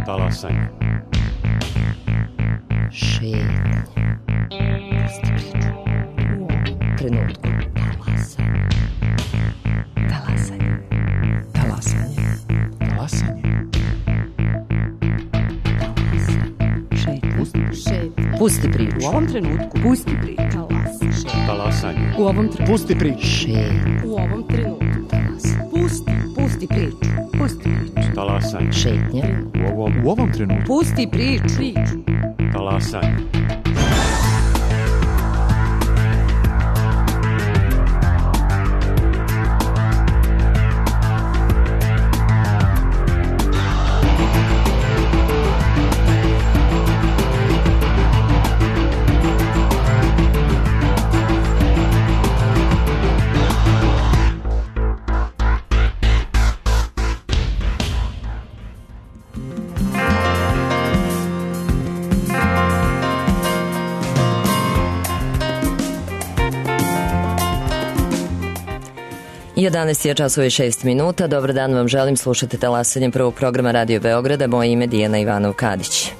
Talasanje. Šetnje. Pusti priču. U ovom trenutku. Talasanje. Talasanje. Talasanje. Šetnje. Pusti priču. U ovom trenutku. Pusti priču. Talasanje. U ovom trenutku. Pusti priču. Šetnje. U ovom trenutku. Pusti priču. Pusti priču. Talasanje. Šetnje. U ovom trenutku. Pusti priču. Talasanje. I 11 je časova i 6 minuta. Dobar dan vam želim, slušate Talasanje prvog programa Radio Beograda. Moje ime Dijana Ivanov-Kadić.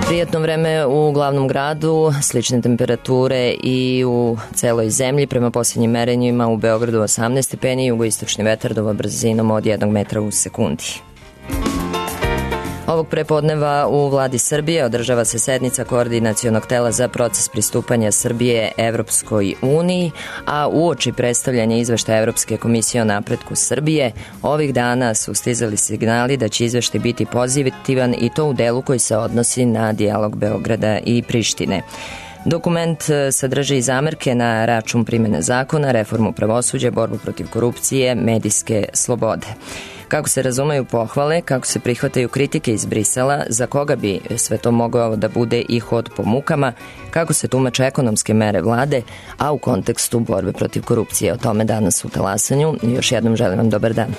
Prijatno vreme u glavnom gradu, slične temperature i u celoj zemlji. Prema posljednjim merenjima u Beogradu 18 stepeni, jugoistočni vetar duva brzinom od 1 metra u sekundi. Ovog prepodneva u Vladi Srbije održava se sednica koordinacionog tela za proces pristupanja Srbije Evropskoj uniji, a uoči predstavljanja izveštaja Evropske komisije o napretku Srbije, ovih dana su stizali signali da će izveštaj biti pozitivan i to u delu koji se odnosi na dijalog Beograda i Prištine. Dokument sadrži i zamerke na račun primjene zakona, reformu pravosuđa, borbu protiv korupcije, medijske slobode. Kako se razumeju pohvale, kako se prihvataju kritike iz Brisela, za koga bi sve to mogao da bude i hod po mukama, kako se tumače ekonomske mere vlade, a u kontekstu borbe protiv korupcije. O tome danas u Talasanju. Još jednom želim vam dobar dan.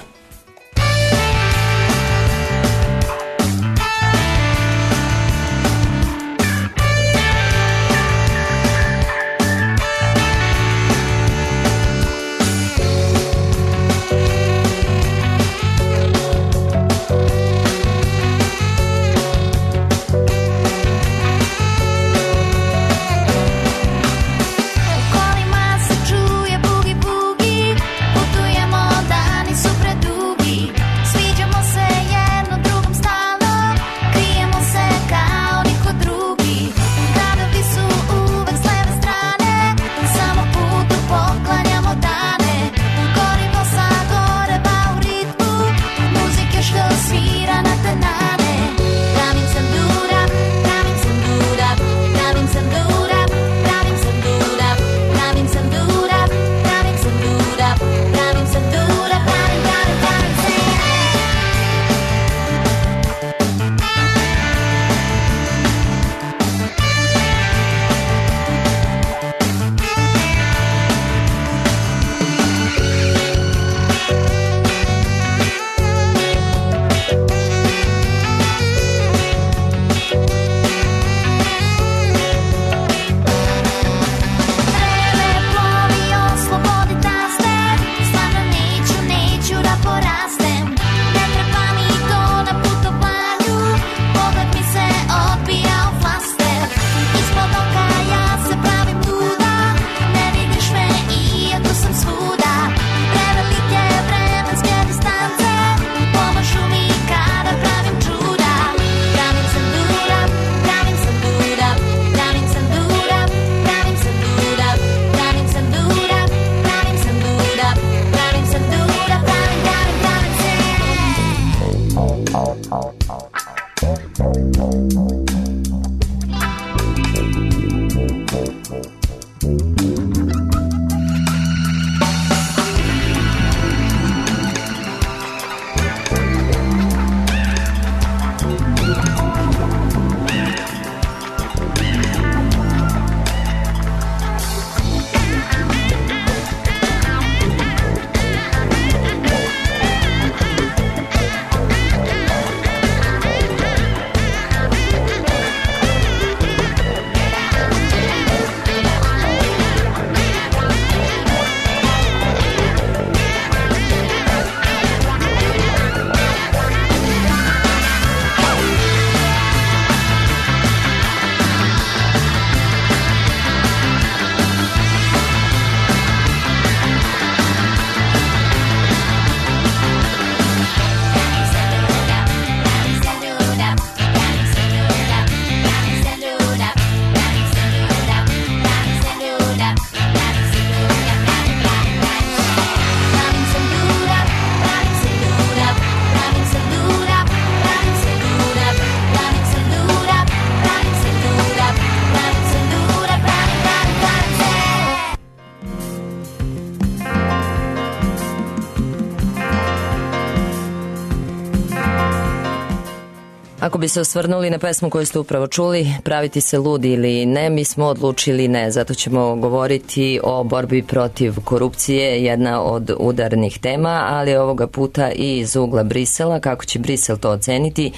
Ako bi se osvrnuli na pesmu koju ste upravo čuli, Praviti se ludi ili ne, mi smo odlučili ne, zato ćemo govoriti o borbi protiv korupcije, jedna od udarnih tema, ali ovoga puta i iz ugla Brisela, kako će Brisel to oceniti,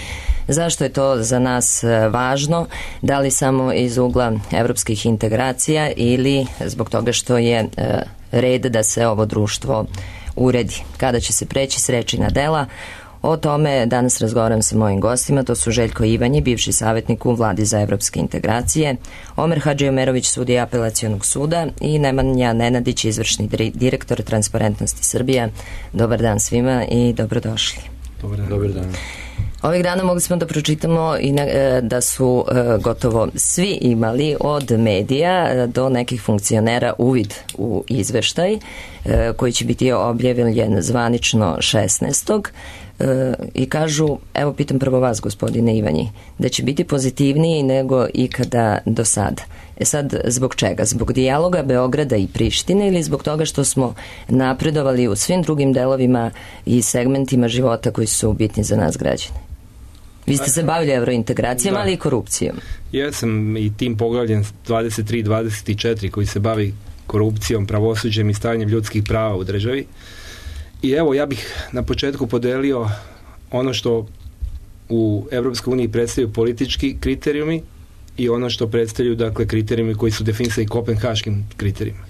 zašto je to za nas važno, da li samo iz ugla evropskih integracija ili zbog toga što je red da se ovo društvo uredi. Kada će se preći s reči na dela? O tome danas razgovaram sa mojim gostima, to su Željko Ivanji, bivši savjetnik u Vladi za evropske integracije, Omer Hadžiomerović, sudija Apelacionog suda i Nemanja Nenadić, izvršni direktor Transparentnosti Srbije. Dobar dan svima i dobrodošli. Dobar dan. Ovih dana mogli smo da pročitamo i da su gotovo svi imali od medija do nekih funkcionera uvid u izveštaj koji će biti objavljen zvanično 16. I kažu, evo pitam prvo vas gospodine Ivanji, da će biti pozitivniji nego ikada do sada. Sad, zbog čega? Zbog dijaloga Beograda i Prištine ili zbog toga što smo napredovali u svim drugim delovima i segmentima života koji su bitni za nas građane? Vi ste se bavili evrointegracijama, ali i korupcijom. Ja sam i tim poglavljem 23-24 koji se bavi korupcijom, pravosuđem i stavljanjem ljudskih prava u državi. I evo, ja bih na početku podelio ono što u Evropskoj uniji predstavljaju politički kriterijumi i ono što predstavljaju, dakle, kriterijumi koji su definisani kopenhaškim kriterijima.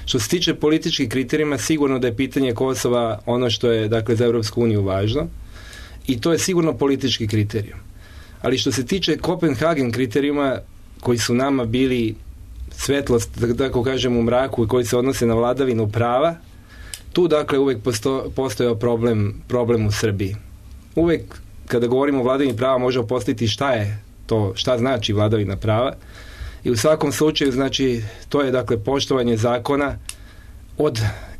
Što se tiče političkih kriterijima, sigurno da je pitanje Kosova ono što je, dakle, za Evropsku uniju važno i to je sigurno politički kriterijum. Ali što se tiče Kopenhagen kriterijuma koji su nama bili svetlost, da tako kažem, u mraku i koji se odnose na vladavinu prava, tu, dakle, uvek postojao problem u Srbiji. Uvek kada govorimo o vladavini prava možemo postaviti šta je to, šta znači vladavina prava i u svakom slučaju, znači, to je, dakle, poštovanje zakona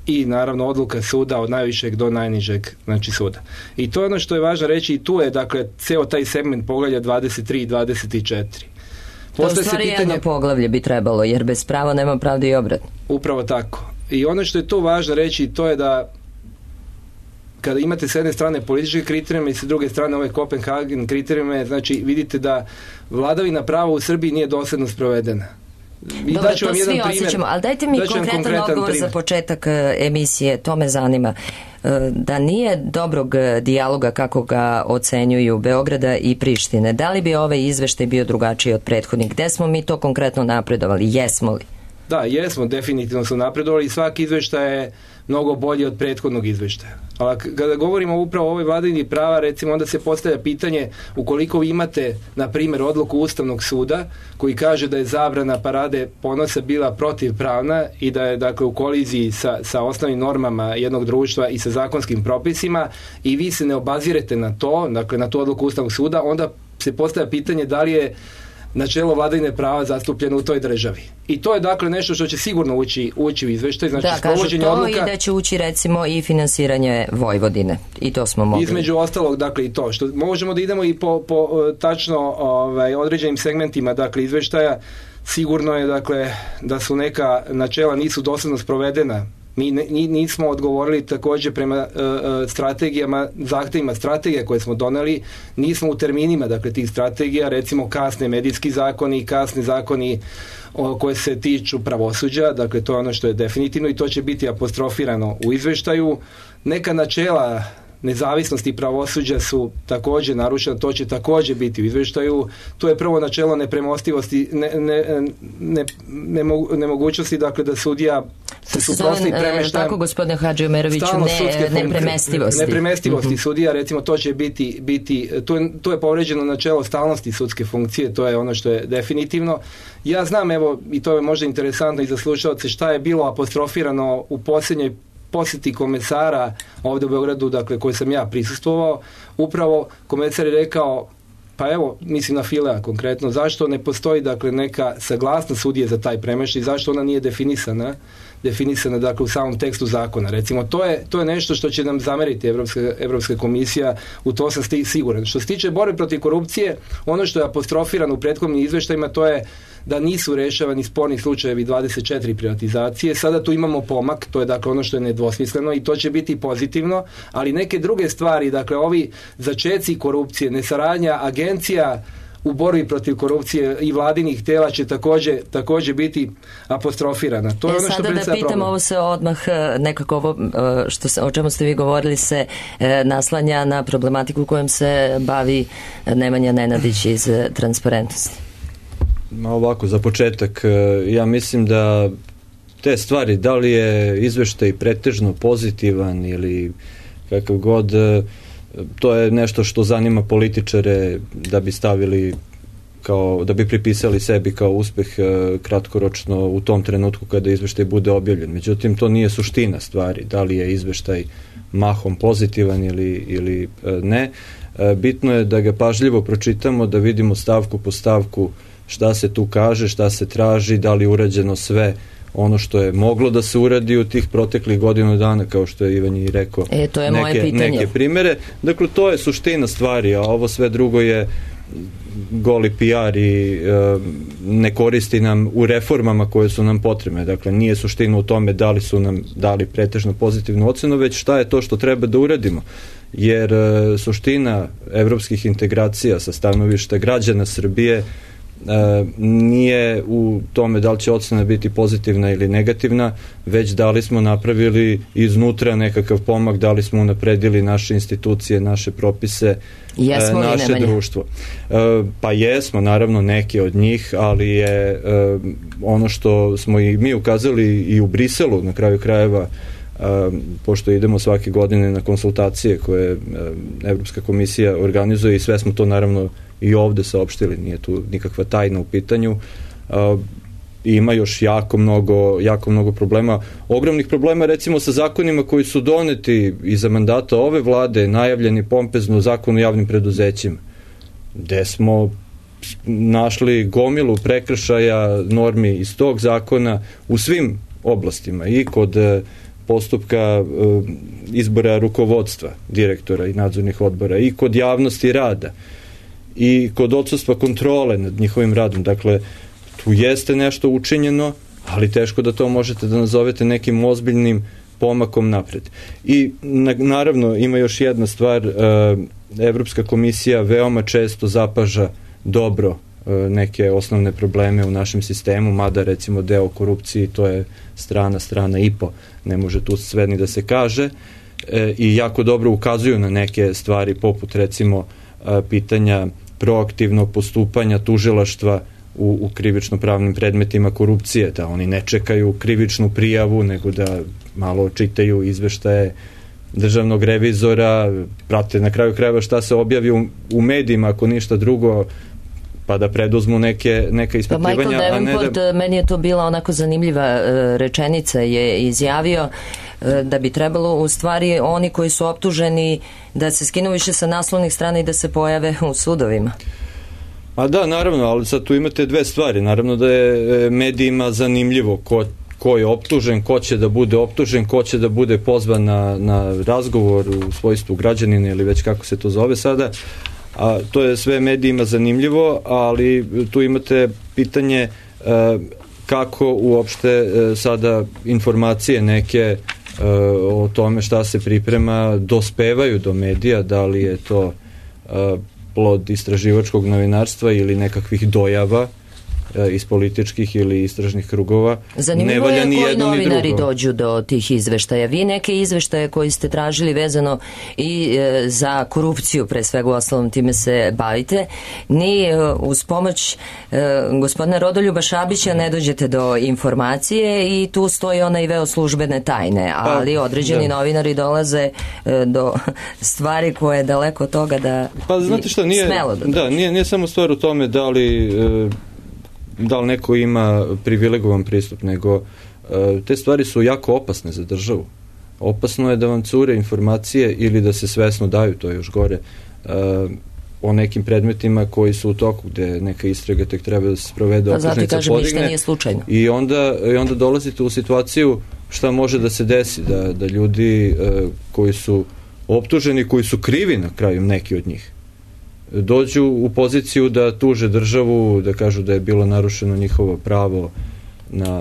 i naravno odluka suda od najvišeg do najnižeg, znači, suda. I to je ono što je važno reći i tu je, dakle, ceo taj segment poglavlja 23 i 24. To u stvari jedno poglavlje bi trebalo, jer bez prava nema pravde i obratno. Upravo tako. I ono što je tu važno reći, to je da kada imate s jedne strane političke kriterijume i s druge strane ove Kopenhagen kriterijume, znači vidite da vladavina prava u Srbiji nije dosljedno sprovedena. Dobro, to svi osjećamo, ali dajte mi konkretan odgovor za početak emisije, to me zanima. Da nije dobrog dijaloga kako ga ocenjuju Beograda i Prištine, da li bi ovaj izveštaj bio drugačiji od prethodnih? Gde smo mi to konkretno napredovali? Jesmo li? Da, jesmo, definitivno smo napredovali i svaki izveštaj je mnogo bolji od prethodnog izveštaja. Ali kada govorimo upravo o ovoj vladavini prava, recimo, onda se postavlja pitanje ukoliko vi imate, na primjer, odluku Ustavnog suda koji kaže da je zabrana parade ponosa bila protivpravna i da je, dakle, u koliziji sa osnovnim normama jednog društva i sa zakonskim propisima i vi se ne obazirete na to, dakle, na tu odluku Ustavnog suda, onda se postavlja pitanje da li je načelo vladavine prava zastupljeno u toj državi. I to je, dakle, nešto što će sigurno ući u izveštaj. Znači, da, kažu to odluka, i da će ući, recimo, i finansiranje Vojvodine. I to smo mogli. Između ostalog, dakle, i to. Što možemo da idemo i po tačno određenim segmentima, dakle, izveštaja. Sigurno je, dakle, da su neka načela nisu dosledno sprovedena. Mi nismo odgovorili također prema strategijama, zahtevima strategija koje smo doneli, nismo u terminima, dakle, tih strategija, recimo kasne medijski zakoni, kasni zakoni koje se tiču pravosuđa, dakle, to je ono što je definitivno i to će biti apostrofirano u izveštaju. Neka načela nezavisnosti pravosuđa su također narušena, to će također biti u izveštaju. To je prvo načelo nepremostivosti, nemogućnosti, dakle, da sudija se suprotstavi premeštajem. Tako, gospodine Hadžiomeroviću, nepremestivosti. Nepremestivosti sudija, recimo, to će biti to je povređeno načelo stalnosti sudske funkcije, to je ono što je definitivno. Ja znam, evo, i to je možda interesantno i za slušalce, šta je bilo apostrofirano u posljednjoj posjeti komesara ovdje u Beogradu, dakle, koji sam ja prisustvovao. Upravo komesar je rekao, pa evo, mislim na Filea konkretno, zašto ne postoji, dakle, neka saglasnost sudije za taj premještaj, zašto ona nije definisana. definisana dakle u samom tekstu zakona. Recimo, to je nešto što će nam zameriti Evropska komisija, u to sam siguran. Što se tiče borbe protiv korupcije, ono što je apostrofirano u prethodnim izveštajima, to je da nisu rešavani sporni slučajevi 24 privatizacije. Sada tu imamo pomak, to je dakle ono što je nedvosmisleno i to će biti pozitivno, ali neke druge stvari, dakle ovi začeci korupcije, nesaradnja agencija u borbi protiv korupcije i vladinih tela će također biti apostrofirana. To je ono što sada da pitam, ovo se odmah nekako ovo o čemu ste vi govorili se naslanja na problematiku kojom se bavi Nemanja Nenadić iz Transparentnosti. Ovako, za početak, ja mislim da te stvari, da li je izveštaj pretežno pozitivan ili kakav god, to je nešto što zanima političare da bi stavili da bi pripisali sebi kao uspeh kratkoročno u tom trenutku kada izveštaj bude objavljen. Međutim, to nije suština stvari, da li je izveštaj mahom pozitivan ili ne. Bitno je da ga pažljivo pročitamo, da vidimo stavku po stavku šta se tu kaže, šta se traži, da li je urađeno sve ono što je moglo da se uradi u tih proteklih godinu dana, kao što je Ivan i rekao, to je neke primere. Dakle, to je suština stvari, a ovo sve drugo je goli PR i ne koristi nam u reformama koje su nam potrebne. Dakle, nije suština u tome da li su nam dali pretežno pozitivnu ocenu, već šta je to što treba da uradimo. Jer suština evropskih integracija sa stanovišta građana Srbije nije u tome da li će ocena biti pozitivna ili negativna, već da li smo napravili iznutra nekakav pomak, da li smo unapredili naše institucije, naše propise, naše društvo. Pa jesmo, naravno, neke od njih, ali je ono što smo i mi ukazali i u Briselu, na kraju krajeva, pošto idemo svake godine na konsultacije koje Evropska komisija organizuje i sve smo to naravno i ovde saopštili, nije tu nikakva tajna u pitanju. Ima još jako mnogo problema, ogromnih problema recimo sa zakonima koji su doneti iza mandata ove vlade, najavljeni pompezno Zakon o javnim preduzećima, gde smo našli gomilu prekršaja normi iz tog zakona u svim oblastima, i kod postupka izbora rukovodstva, direktora i nadzornih odbora, i kod javnosti rada, i kod odsustva kontrole nad njihovim radom. Dakle, tu jeste nešto učinjeno, ali teško da to možete da nazovete nekim ozbiljnim pomakom napred. I naravno ima još jedna stvar, Evropska komisija veoma često zapaža dobro neke osnovne probleme u našem sistemu, mada recimo deo korupciji, to je strana i po, ne može tu sve ni da se kaže, i jako dobro ukazuju na neke stvari poput recimo pitanja proaktivnog postupanja tužilaštva u krivično-pravnim predmetima korupcije, da oni ne čekaju krivičnu prijavu, nego da malo čitaju izveštaje državnog revizora, prate na kraju krajeva šta se objavi u medijima, ako ništa drugo, pa da preduzmu neka ispitivanja. Pa Michael Davenport, meni je to bila onako zanimljiva rečenica, je izjavio da bi trebalo u stvari oni koji su optuženi da se skinu više sa naslovnih strana i da se pojave u sudovima. A da, naravno, ali sad tu imate dve stvari. Naravno da je medijima zanimljivo ko je optužen, ko će da bude optužen, ko će da bude pozvan na razgovor u svojstvu građanina ili već kako se to zove sada. A to je sve medijima zanimljivo, ali tu imate pitanje kako uopšte sada informacije neke o tome šta se priprema dospevaju do medija, da li je to plod istraživačkog novinarstva ili nekakvih dojava iz političkih ili istražnih krugova. Zanimljivo je koji novinari dođu do tih izveštaja. Vi neke izveštaje koji ste tražili vezano i za korupciju, pre svega u osnovom time se bavite, ni uz pomoć gospodina Rodoljuba Šabića ne dođete do informacije i tu stoji onaj veo službene tajne, ali određeni novinari dolaze do stvari koje je daleko od toga da znate šta, smelo da dođe. Nije samo stvar u tome da li neko ima privilegovan pristup, nego te stvari su jako opasne za državu. Opasno je da vam cure informacije ili da se svesno daju, to je još gore, o nekim predmetima koji su u toku, gde neka istraga tek treba da se sprovede, optužnica podigne. Ništa nije slučajno. I onda dolazite u situaciju šta može da se desi, da ljudi koji su optuženi, koji su krivi na kraju, neki od njih, dođu u poziciju da tuže državu, da kažu da je bilo narušeno njihovo pravo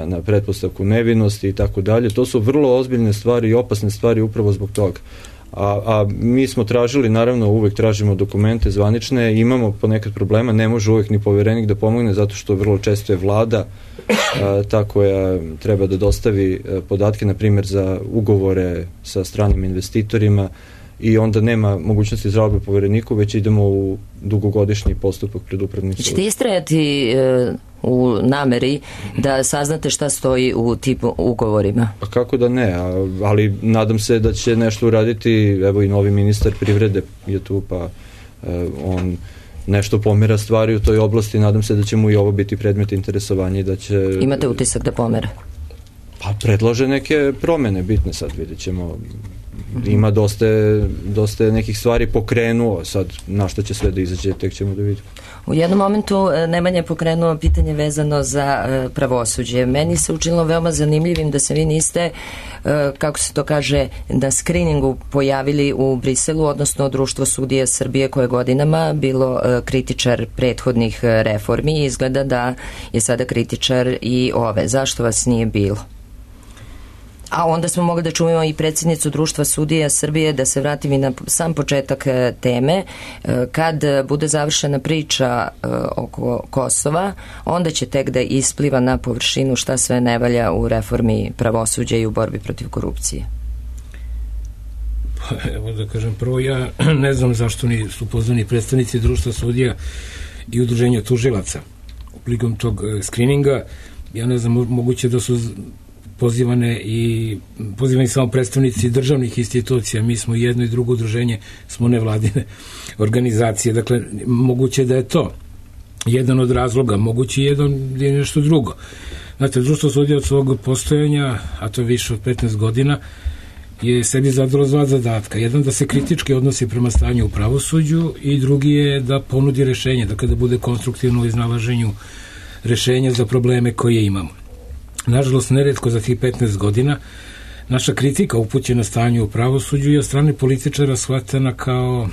na pretpostavku nevinosti i tako dalje. To su vrlo ozbiljne stvari i opasne stvari upravo zbog toga. A mi smo tražili, naravno uvek tražimo dokumente zvanične, imamo ponekad problema, ne može uvek ni poverenik da pomogne zato što vrlo često je vlada ta koja treba da dostavi podatke, na primjer za ugovore sa stranim investitorima, i onda nema mogućnosti žalbe povereniku, već idemo u dugogodišnji postupak pred upravnim sudom. Ćete istrajati u nameri da saznate šta stoji u tipu ugovorima? Pa kako da ne, ali nadam se da će nešto uraditi, evo i novi ministar privrede je tu, pa on nešto pomera stvari u toj oblasti, nadam se da će mu i ovo biti predmet interesovanja i da će... Imate utisak da pomera? Pa predlože neke promene bitne, sad vidjet ćemo. Ima dosta nekih stvari pokrenuo, sad na što će sve da izađe, tek ćemo da vidimo. U jednom momentu Nemanja je pokrenuo pitanje vezano za pravosuđe. Meni se učinilo veoma zanimljivim da se vi niste, kako se to kaže, na skriningu pojavili u Briselu, odnosno Društvo sudija Srbije koje je godinama bilo kritičar prethodnih reformi i izgleda da je sada kritičar i ove. Zašto vas nije bilo? A onda smo mogli da čujemo i predsjednicu Društva sudija Srbije, da se vratim i na sam početak teme. Kad bude završena priča oko Kosova, onda će tek da ispliva na površinu šta sve ne valja u reformi pravosuđa i u borbi protiv korupcije. Pa, evo da kažem, prvo ja ne znam zašto nisu pozvani predstavnici Društva sudija i udruženja tužilaca prilikom tog skrininga. Ja ne znam, moguće da su pozivani samo predstavnici državnih institucija, mi smo jedno i drugo udruženje, smo nevladine organizacije, dakle moguće da je to jedan od razloga, moguće je nešto drugo. Znate, Društvo sudija od svog postojanja, a to je više od 15 godina, je sebi zadalo dva zadatka. Jedan da se kritički odnosi prema stanju u pravosuđu i drugi je da ponudi rešenje, dakle da bude konstruktivno u iznalaženju rešenja za probleme koje imamo. Nažalost, neretko za tih 15 godina naša kritika upućena stanju u pravosuđu je od strane političara shvatana kao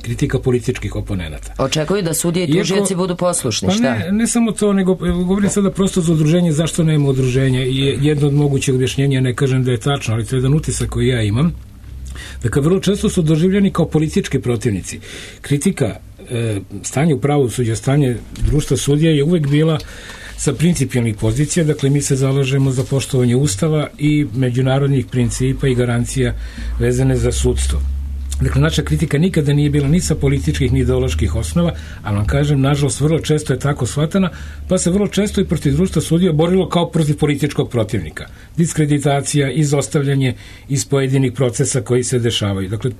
kritika političkih oponenata. Očekuju da sudije i tužioci budu poslušni, šta? Pa ne samo to, nego govorim sada prosto za udruženje, zašto nema udruženja, i jedno od mogućeg objašnjenja, ne kažem da je tačno, ali to je jedan utisak koji ja imam. Dakle, vrlo često su doživljeni kao politički protivnici. Kritika stanja u pravosuđu, stanje Društva sudija je uvek bila sa principijalnih pozicija, dakle mi se zalažemo za poštovanje Ustava i međunarodnih principa i garancija vezane za sudstvo. Dakle, naša kritika nikada nije bila ni sa političkih ni ideoloških osnova, ali vam kažem, nažalost, vrlo često je tako shvatana, pa se vrlo često i protiv Društva sudija borilo kao protiv političkog protivnika. Diskreditacija, izostavljanje iz pojedinih procesa koji se dešavaju. Dakle,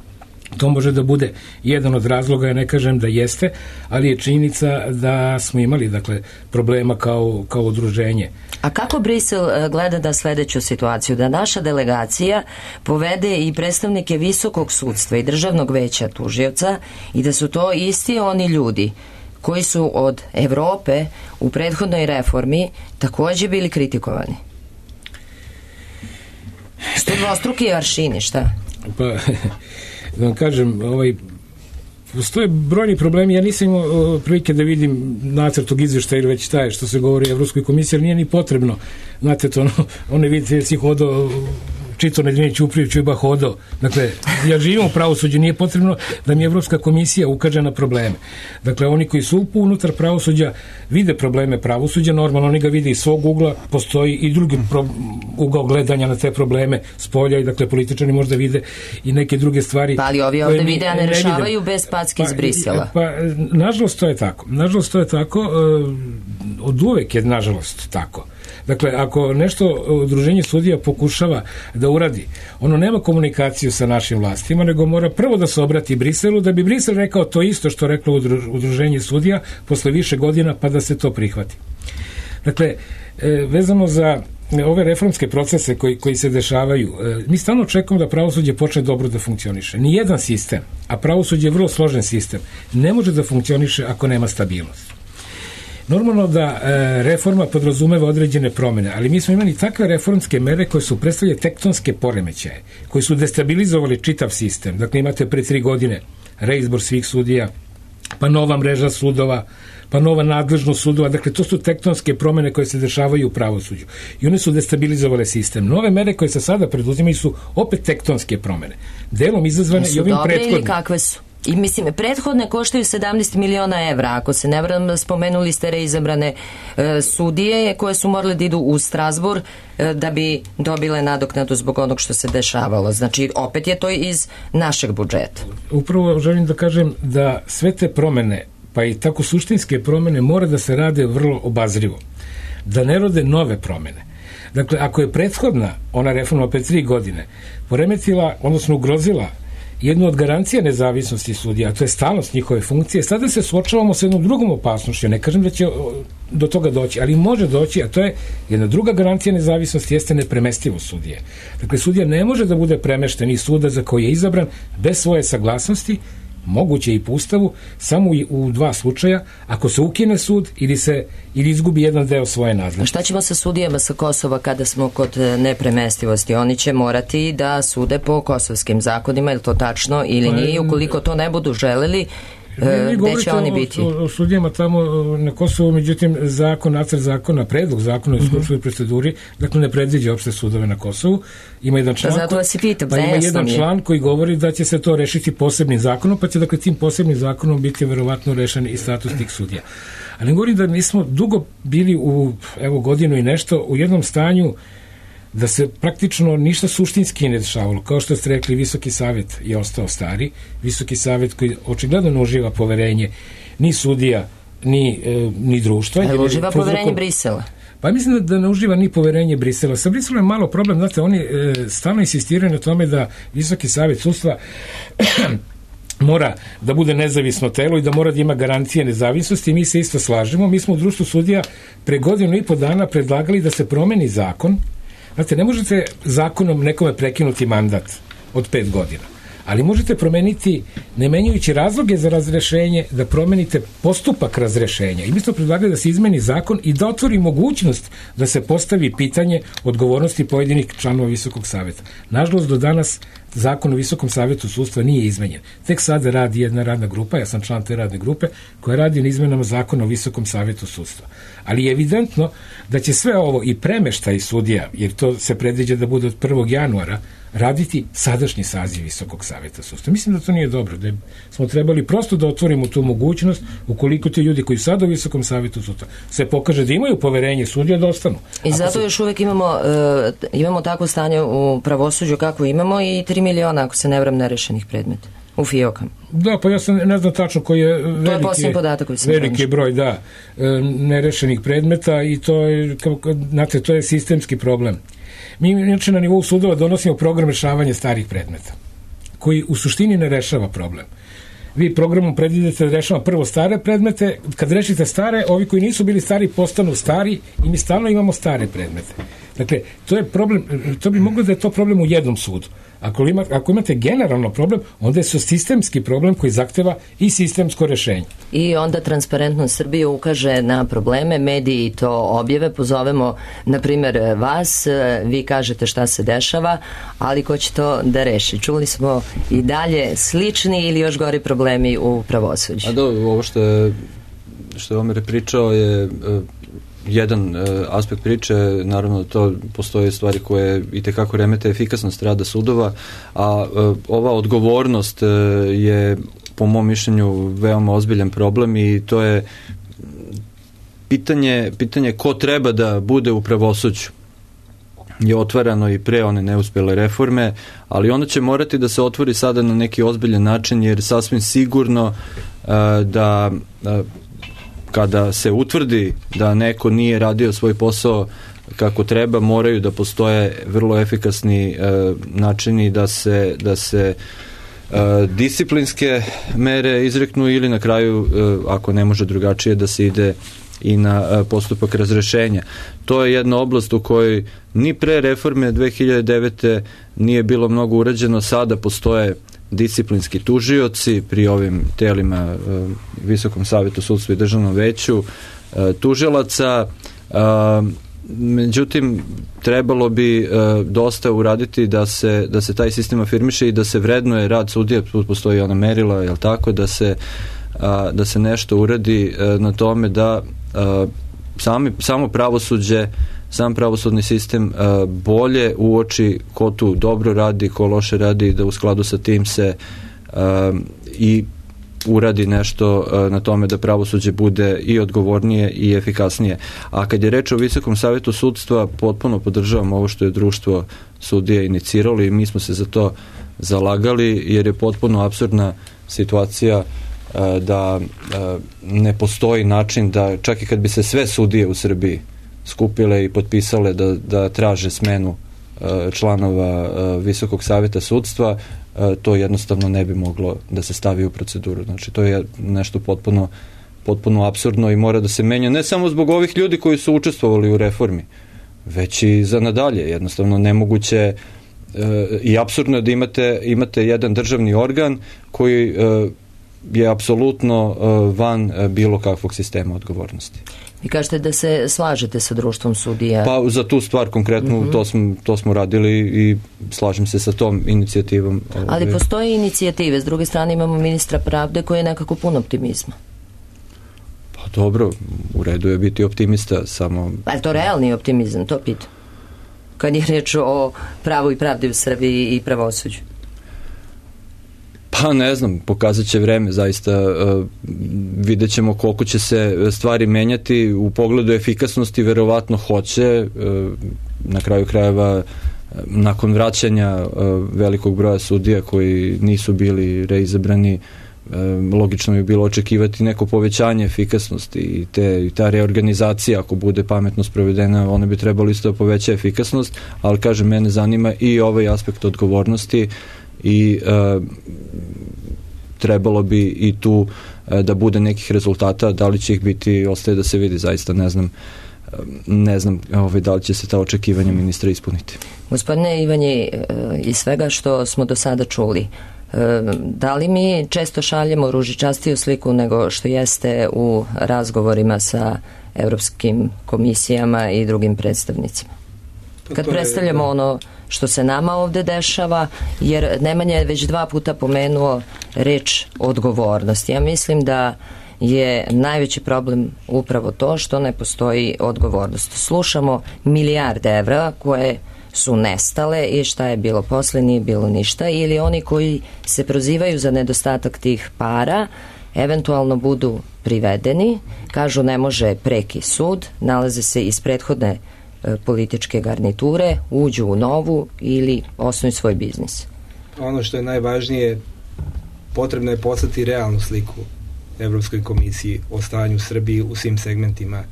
to može da bude jedan od razloga, ja ne kažem da jeste, ali je činjenica da smo imali, dakle, problema kao udruženje. A kako Brisel gleda da sledeću situaciju, da naša delegacija povede i predstavnike visokog sudstva i državnog veća tužioca i da su to isti oni ljudi koji su od Evrope u prethodnoj reformi takođe bili kritikovani? Što dvostruki aršini, šta? Pa, da vam kažem, postoje brojni problemi, ja nisam imao prilike da vidim nacrt tog izveštaja ili već taj što se govori o Evropskoj komisiji, jer nije ni potrebno, znate to, one vidite si hodao Čito Nedeljnić Uprijević i hodao. Dakle, ja živim u pravosuđu, nije potrebno da mi Evropska komisija ukaže na probleme. Dakle, oni koji su unutar pravosuđa vide probleme pravosuđa, normalno oni ga vide iz svog ugla, postoji i drugi ugao gledanja na te probleme s polja i dakle političari možda vide i neke druge stvari. Pa ali ovi ovde vide, a ne rešavaju bez packe iz Brisela. Pa, nažalost to je tako. Nažalost to je tako, od uvek je nažalost tako. Dakle, ako nešto udruženje sudija pokušava da uradi, ono nema komunikaciju sa našim vlastima, nego mora prvo da se obrati Briselu, da bi Brisel rekao to isto što reklo udruženje sudija posle više godina, pa da se to prihvati. Dakle, vezano za ove reformske procese koji se dešavaju, mi stalno očekujemo da pravosuđe počne dobro da funkcioniše. Nijedan sistem, a pravosuđe je vrlo složen sistem, ne može da funkcioniše ako nema stabilnost. Normalno da reforma podrazumeva određene promene, ali mi smo imali takve reformske mere koje su predstavljale tektonske poremećaje, koji su destabilizovali čitav sistem. Dakle, imate pre 3 godine reizbor svih sudija, pa nova mreža sudova, pa nova nadležnost sudova. Dakle, to su tektonske promene koje se dešavaju u pravosuđu. I one su destabilizovale sistem. Nove mere koje se sada preduzimaju su opet tektonske promene. Delom izazvane i ovim prethodnim. Su dobre ili kakve su? I mislim, prethodne koštaju 17 miliona evra. Ako se ne varam, spomenuli ste reizabrane sudije koje su morale da idu u Strazbur da bi dobile nadoknadu zbog onog što se dešavalo. Znači, opet je to iz našeg budžeta. Upravo želim da kažem da sve te promene, pa i tako suštinske promene, mora da se rade vrlo obazrivo. Da ne rode nove promene. Dakle, ako je prethodna, ona reforma opet 3 godine, poremetila, odnosno ugrozila jednu od garancija nezavisnosti sudija, a to je stalnost njihove funkcije, sada se suočavamo sa jednom drugom opasnošću. Ne kažem da će do toga doći, ali može doći, a to je jedna druga garancija nezavisnosti, jeste nepremestivost sudije. Dakle, sudija ne može da bude premešten iz suda za koji je izabran bez svoje saglasnosti, moguće i po Ustavu, samo u 2 slučaja, ako se ukine sud ili izgubi jedan deo svoje nadležnosti. Šta ćemo sa sudijama sa Kosova kada smo kod nepremestivosti? Oni će morati da sude po kosovskim zakonima, je li to tačno ili nije? Ukoliko to ne budu želeli, gde će oni biti? O sudijama tamo na Kosovu, međutim nacrt zakona, predlog zakona u skupštini proceduri, dakle ne predviđa uopšte sudove na Kosovu. Ima jedan član, član koji govori da će se to rešiti posebnim zakonom, pa će dakle tim posebnim zakonom biti verovatno rešen i status tih sudija. Ali govorim da mi smo dugo bili u godinu i nešto u jednom stanju da se praktično ništa suštinski ne dešavalo. Kao što ste rekli, Visoki savet je ostao stari. Visoki savet koji očigledno ne uživa poverenje ni sudija, ni društva. Ali uživa poverenje Brisela? Pa mislim da ne uživa ni poverenje Brisela. Sa Briselom je malo problem, znate, oni stalno insistiraju na tome da Visoki savet sudstva mora da bude nezavisno telo i da mora da ima garancije nezavisnosti i mi se isto slažemo. Mi smo u društvu sudija pre 1.5 dana predlagali da se promeni zakon. Znate, ne možete zakonom nekome prekinuti mandat od 5 godina, ali možete promeniti, ne menjajući razloge za razrešenje, da promenite postupak razrešenja. I mi smo predlagali da se izmeni zakon i da otvori mogućnost da se postavi pitanje odgovornosti pojedinih članova Visokog saveta. Nažalost, do danas zakon o Visokom savetu sudstva nije izmenjen. Tek sada radi jedna radna grupa, ja sam član te radne grupe, koja radi na izmenama zakona o Visokom savetu sudstva. Ali je evidentno da će sve ovo i premeštaj sudija, jer to se predviđa da bude od 1. januara, raditi sadašnji saziv Visokog saveta sudstva. Mislim da to nije dobro, da smo trebali prosto da otvorimo tu mogućnost, ukoliko ti ljudi koji sada u Visokom savetu sudstva se pokaže da imaju poverenje sudija, da ostanu. I zato još uvek imamo takvo stanje u pravosuđu kako imamo i 3 miliona, ako se ne varam, nerešenih predmeta u fijokama. Da, pa ja sam ne znam tačno koji je veliki broj nerešenih predmeta i to je, znate, to je sistemski problem. Mi inače na nivou sudova donosimo program rešavanja starih predmeta, koji u suštini ne rešava problem. Vi programom predvidite da rešava prvo stare predmete, kad rešite stare, ovi koji nisu bili stari postanu stari i mi stalno imamo stare predmete. Dakle, to je problem, to bi moglo da je to problem u jednom sudu. Ako imate generalno problem, onda je to sistemski problem koji zahteva i sistemsko rešenje. I onda Transparentnost Srbije ukaže na probleme, mediji to objave, pozovemo, na primjer, vas, vi kažete šta se dešava, ali ko će to da reši? Čuli smo i dalje slični ili još gori problemi u pravosuđu. Ovo što je Omer pričao je jedan aspekt priče, naravno to postoje stvari koje itekako remete efikasnost rada sudova, a ova odgovornost je po mom mišljenju veoma ozbiljan problem i to je pitanje ko treba da bude u pravosuđu je otvarano i pre one neuspjele reforme, ali onda će morati da se otvori sada na neki ozbiljan način, jer sasvim sigurno da kada se utvrdi da neko nije radio svoj posao kako treba, moraju da postoje vrlo efikasni načini da se disciplinske mere izreknu ili na kraju, ako ne može drugačije, da se ide i na postupak razrešenja. To je jedna oblast u kojoj ni pre reforme 2009. nije bilo mnogo urađeno. Sada postoje disciplinski tužioci pri ovim telima, Visokom savetu sudstva i Državnom veću tužilaca. Međutim, trebalo bi dosta uraditi da se taj sistem afirmiše i da se vrednuje rad sudija. Tu postoji ona merila, jel tako, da se nešto uradi na tome da samo pravosuđe, sam pravosudni sistem bolje uoči ko tu dobro radi, ko loše radi, i da u skladu sa tim se i uradi nešto na tome da pravosuđe bude i odgovornije i efikasnije. A kad je reč o Visokom savetu sudstva, potpuno podržavam ovo što je društvo sudija iniciralo i mi smo se za to zalagali, jer je potpuno apsurdna situacija da ne postoji način da, čak i kad bi se sve sudije u Srbiji skupile i potpisale da traže smenu članova Visokog saveta sudstva, to jednostavno ne bi moglo da se stavi u proceduru. Znači, to je nešto potpuno apsurdno i mora da se menja, ne samo zbog ovih ljudi koji su učestvovali u reformi, već i za nadalje. Jednostavno nemoguće i apsurdno je da imate jedan državni organ koji je apsolutno van bilo kakvog sistema odgovornosti. Vi kažete da se slažete sa društvom sudija? Pa za tu stvar konkretno to smo radili i slažem se sa tom inicijativom. Ali postoje inicijative, s druge strane imamo ministra pravde koji je nekako pun optimizma. Pa dobro, u redu je biti optimista, samo... Pa je to realni optimizam, to pitam? Kad je reč o pravu i pravdi u Srbiji i pravosuđu? Pa ne znam, pokazat će vreme, zaista vidjet ćemo koliko će se stvari menjati u pogledu efikasnosti, verovatno hoće, na kraju krajeva nakon vraćanja velikog broja sudija koji nisu bili reizabrani, logično je bilo očekivati neko povećanje efikasnosti i ta reorganizacija, ako bude pametno sprovedena, ona bi trebalo isto da poveća efikasnost, ali kažem, mene zanima i ovaj aspekt odgovornosti i trebalo bi i tu da bude nekih rezultata. Da li će ih biti, ostaje da se vidi, zaista ne znam da li će se ta očekivanja ministra ispuniti. Gospodine Ivanje, iz svega što smo do sada čuli, da li mi često šaljemo ružičastiju sliku nego što jeste u razgovorima sa evropskim komisijama i drugim predstavnicima? Kad predstavljamo ono što se nama ovde dešava, jer Nemanja je već 2 puta pomenuo reč odgovornost. Ja mislim da je najveći problem upravo to što ne postoji odgovornost. Slušamo milijarde evra koje su nestale i šta je bilo posle, nije bilo ništa, ili oni koji se prozivaju za nedostatak tih para eventualno budu privedeni, kažu ne može preki sud, nalaze se iz prethodne političke garniture, uđu u novu ili osnuju svoj biznis. Ono što je najvažnije, potrebno je poslati realnu sliku Evropskoj komisiji o stanju Srbiji u svim segmentima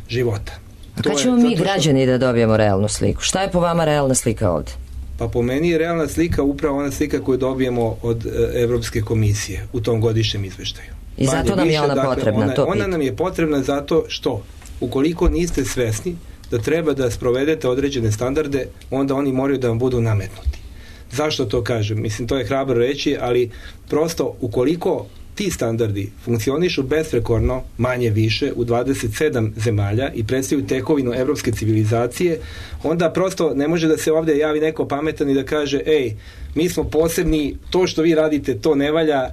života. A kad ćemo mi građani da dobijemo realnu sliku? Šta je po vama realna slika ovde? Pa po meni je realna slika upravo ona slika koju dobijemo od Evropske komisije u tom godišnjem izveštaju. I zato nam je ona potrebna, to ona nam je potrebna zato što ukoliko niste svesni da treba da sprovedete određene standarde, onda oni moraju da vam budu nametnuti. Zašto to kažem? Mislim, to je hrabro reći, ali prosto ukoliko ti standardi funkcionišu besprekorno, manje više, u 27 zemalja i predstavljaju tekovinu evropske civilizacije, onda prosto ne može da se ovde javi neko pametan i da kaže, ej, mi smo posebni, to što vi radite, to ne valja,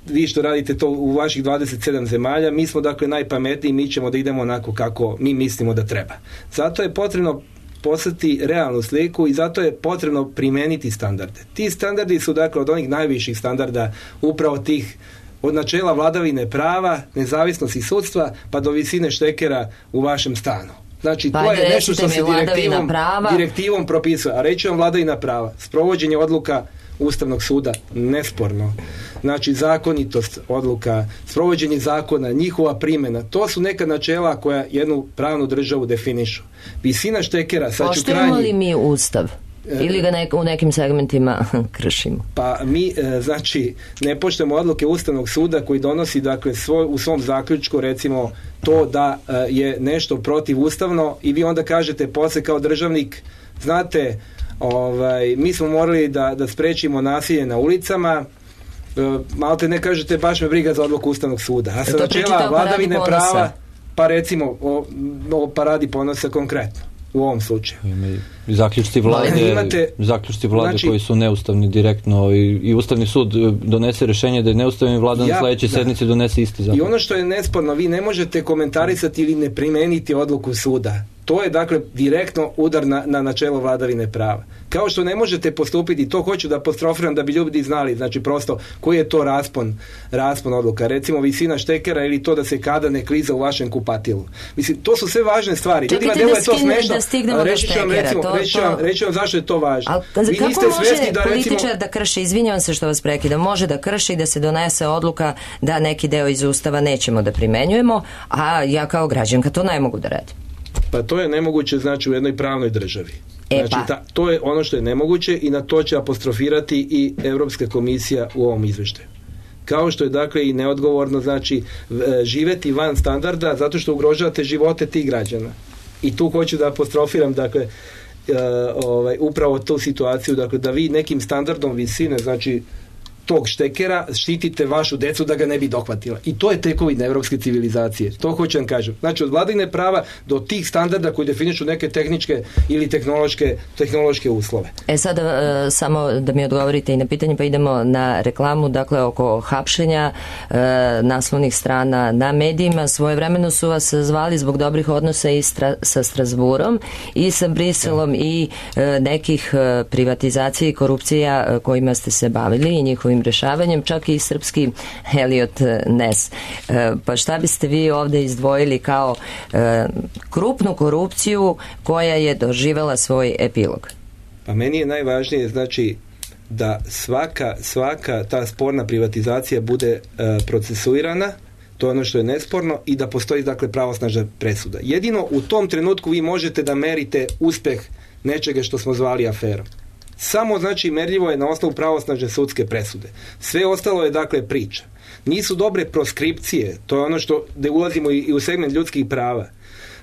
vi što radite to u vaših 27 zemalja, mi smo dakle najpametniji, mi ćemo da idemo onako kako mi mislimo da treba. Zato je potrebno poslati realnu sliku i zato je potrebno primeniti standarde. Ti standardi su dakle od onih najviših standarda, upravo tih od načela vladavine prava, nezavisnosti sudstva, pa do visine štekera u vašem stanu. Znači, to je nešto što se direktivom propisuje. A reći vam vladavina prava, sprovođenje odluka Ustavnog suda, nesporno. Znači, zakonitost odluka, sprovođenje zakona, njihova primjena, to su neka načela koja jednu pravnu državu definišu. Visina štekera, sad ću krajnji... Poštujemo li mi Ustav? Ili ga u nekim segmentima kršimo? Pa mi, znači, ne poštujemo odluke Ustavnog suda koji donosi, dakle, u svom zaključku, recimo, to da je nešto protivustavno i vi onda kažete posle kao državnik, znate, mi smo morali da sprečimo nasilje na ulicama, malte ne kažete baš me briga za odluku Ustavnog suda. A sa načela vladavine prava, pa recimo o paradi ponosa konkretno u ovom slučaju. Zaključci vlade znači, koji su neustavni direktno i Ustavni sud donese rješenje da je neustavni, vlada na sledećoj sednici donese isti zakon. I ono što je nesporno, vi ne možete komentarisati ili ne primeniti odluku suda. To je dakle direktno udar na načelo vladavine prava. Kao što ne možete postupiti, to hoću da apostrofiram da bi ljudi znali, znači prosto koji je to raspon odluka. Recimo visina štekera ili to da se kada ne kliza u vašem kupatilu. Mislim, to su sve važne stvari. Ljudima deluje to smešno. Reći ću vam zašto je to važno. Kako može političar da krši, izvinjavam se što vas prekidam, može da krši i da se donese odluka da neki deo iz Ustava nećemo da primenjujemo, a ja kao građanka to ne mogu da radim? Pa to je nemoguće, znači, u jednoj pravnoj državi. Znači, to je ono što je nemoguće i na to će apostrofirati i Europska komisija u ovom izveštaju. Kao što je, dakle, i neodgovorno, znači, živeti van standarda zato što ugrožavate živote tih građana. I tu hoću da apostrofiram, dakle, upravo tu situaciju, dakle, da vi nekim standardom visine, znači, tog štekera štitite vašu decu da ga ne bi dohvatila. I to je tekovina evropske civilizacije. To hoću vam kažem. Znači, od vladavine prava do tih standarda koji definišu neke tehničke ili tehnološke uslove. Sada samo da mi odgovorite i na pitanje, pa idemo na reklamu, dakle, oko hapšenja naslovnih strana na medijima. Svojevremeno su vas zvali zbog dobrih odnosa i sa Strasburom i sa Briselom i nekih privatizacija i korupcija kojima ste se bavili i njihovim rešavanjem, čak i srpski Elliot Ness. Pa šta biste vi ovde izdvojili kao krupnu korupciju koja je doživela svoj epilog? Pa meni je najvažnije, znači, da svaka ta sporna privatizacija bude procesuirana, to je ono što je nesporno, i da postoji, dakle, pravosnažna presuda. Jedino u tom trenutku vi možete da merite uspeh nečega što smo zvali aferom. Samo, znači, merljivo je na osnovu pravosnažne sudske presude. Sve ostalo je, dakle, priča. Nisu dobre proskripcije, to je ono što, da ulazimo i u segment ljudskih prava.